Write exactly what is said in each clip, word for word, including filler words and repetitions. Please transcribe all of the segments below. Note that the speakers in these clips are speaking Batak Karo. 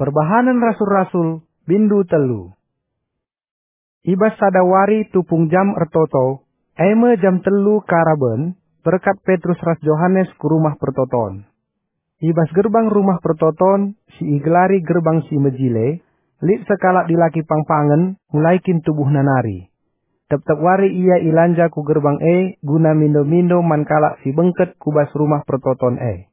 Perbahanen Rasul-Rasul, bindu telu. I bas sada wari tupung jam ertoto, e me jam telu karaben, berkat Petrus ras Johanes ku rumah pertoton. I bas gerbang rumah pertoton, si igelari Gerbang Si Mejile, lit sekalak dilaki pangpangen, mulai kin tubuhna nari. Tep-tep wari ia ilanja ku gerbang e guna mindo-mindo man kalak si bengket ku bas rumah pertoton e.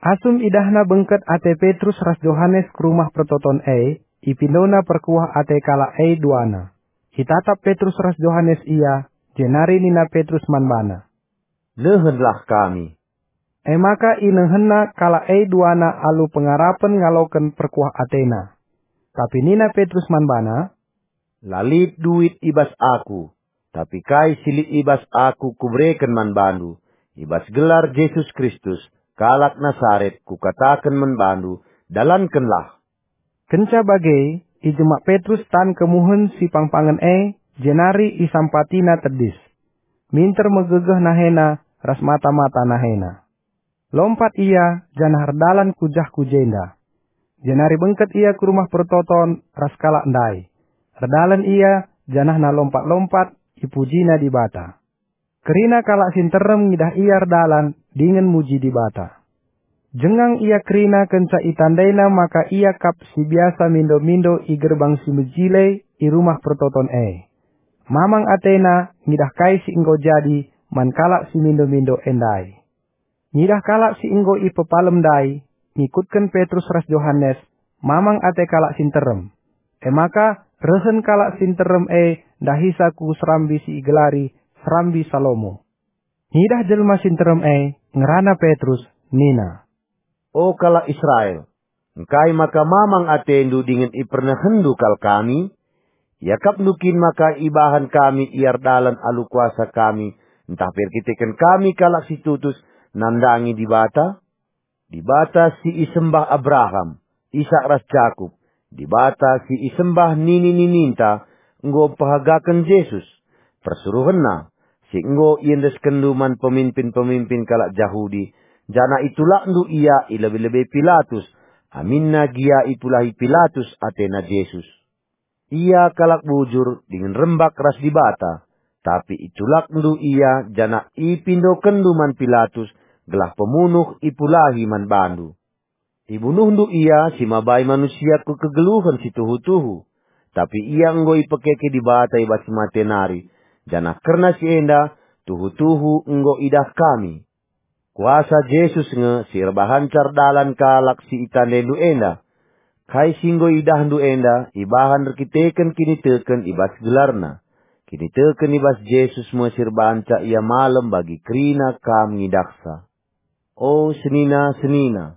Asum idahna bengket ate Petrus ras Johanes ku rumah pertoton e, ipindona perkuah ate kalak e duana. Itatap Petrus ras Johanes ia, jenari nina Petrus man bana, "Nehenlah kami." E maka inehenna kalak e duana alu pengarapen ngaloken perkuah atena. Tapi nina Petrus man bana, "La lit duit i bas aku, tapi kai si lit i bas aku kubereken man bandu. I bas gelar Jesus Kristus, kalak Nasaret, kukataken man bandu, dalankenlah." Kenca bage, ijemak Petrus tan kemuhen si pangpangen e, jenari isampatina tedis. Minter megegeh nahena ras mata-mata nahena. Lompat ia, janah erdalan ku jah ku jenda. Jenari bengket ia ku rumah pertoton ras kalak ndai. Erdalan ia, janahna lompat-lompat, ipujina Dibata. Kerina kalak si nterem ngidah ia erdalan dingen muji Dibata. Jengang ia kerina kenca itandaina maka ia kap si biasa mindo-mindo i Gerbang Si Mejile i rumah pertoton e. Mamang atena ngidah kai si enggo jadi man kalak si mindo-mindo e ndai. Ngidah kalak si enggo ipepalem ndai, ngikutken Petrus ras Johanes, mamang ate kalak si nterem. E maka, rehen kalak si nterem e ndahisa ku serambi si igelari Serambi Salomo. Ngidah jelma si nterem e, ngerana Petrus, nina, "O kalak Israel, engkai maka mamang atendu dingen ipernehenndu kal kami? Iakapndu kin maka ibahan kami ia erdalan alu kuasa kami, ntah pe erkiteken kami kalak si tutus nandangi Dibata? Dibata si isembah Abraham, Isak ras Jakup, Dibata si isembah nini-nininta enggo mpehagaken Jesus, persuruhenNa, si enggo iendeskenndu man peminpin-peminpin kalak Jahudi, janah itulakndu ia i lebe-lebe Pilatus, aminna gia ipulahi Pilatus atena Jesus. Ia kalak bujur dingen rembak ras Dibata, tapi itulakndu ia janah ipindokenndu man Pilatus gelah pemunuh ipulahi man bandu. Ibunuhndu ia si mabai manusia ku kegeluhen si tuhu-tuhu, tapi ia enggo ipekeke Dibata i bas si mate nari, janah kerna si enda tuhu-tuhu enggo idah kami. Kuasa Jesus nge si erbahanca erdalan kalak si itandaindu enda. Kai si enggo idahndu enda ibahan erkiteken kiniteken i bas gelarNa. Kiniteken i bas Jesus me si erbahanca ia malem bagi kerina kam ngidahsa. O senina-senina,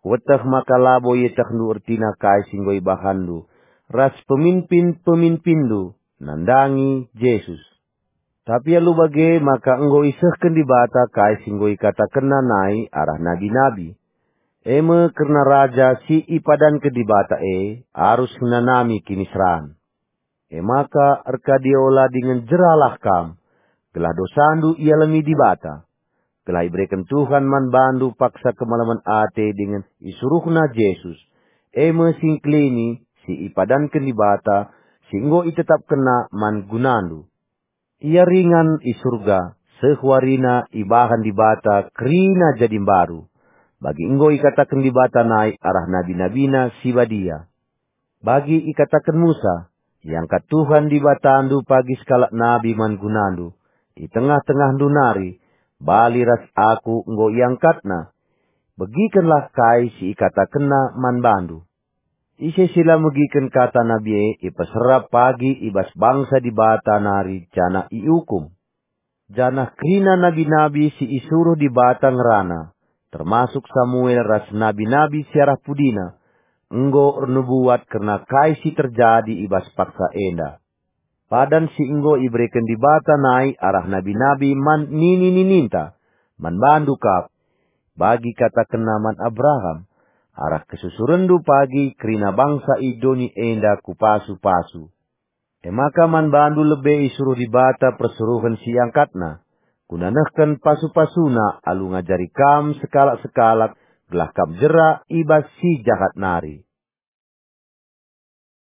kueteh maka labo ietehndu ertina kai si enggo ibahanndu ras peminpin-peminpinndu nandangi Jesus. Tapi alu bage maka enggo isehken Dibata kai si enggo ikatakenNa nai arah nabi-nabi, e me kerna Raja si ipadanken Dibata e arus ngenanami kiniseran. E maka erkadiola dingen jeralah kam, gelah dosandu ialemi Dibata, gelah ibereken Tuhan man bandu paksa kemalemen ate dingen isuruhNa Jesus, e me si engkelini si ipadanken Dibata, si enggo itetapkenNa man gunandu. Ia ringan i Surga, seh warina ibahan Dibata kerina jadi mbaru, bagi enggo ikataken Dibata nai arah nabi-nabiNa si badia. Bagi ikataken Musa, "Iangkat Tuhan Dibatandu pagi sekalak nabi man gunandu, i tengah-tengahndu nari, bali ras Aku enggo iangkatNa." Begikenlah kai si ikatakenNa man bandu. Ise si la megiken kata nabi e ipeserap pagi i bas bangsa Dibata nari janah iukum. Janah kerina nabi-nabi si isuruh Dibata ngerana, termasuk Samuel ras nabi-nabi si arah pudina, enggo ernubuat kerna kai si terjadi i bas paksa enda. Padan si enggo ibereken Dibata nai arah nabi-nabi man nini-nininta, man bandu kap, bagi katakenNa man Abraham, "Arah kesusurenndu pagi kerina bangsa i doni enda kupasu-pasu." E maka man bandu lebe isuruh Dibata persuruhen si iangkatNa, guna nehken pasu-pasuNa alu ngajari kam sekalak-sekalak gelah kam jera i bas si jahat nari.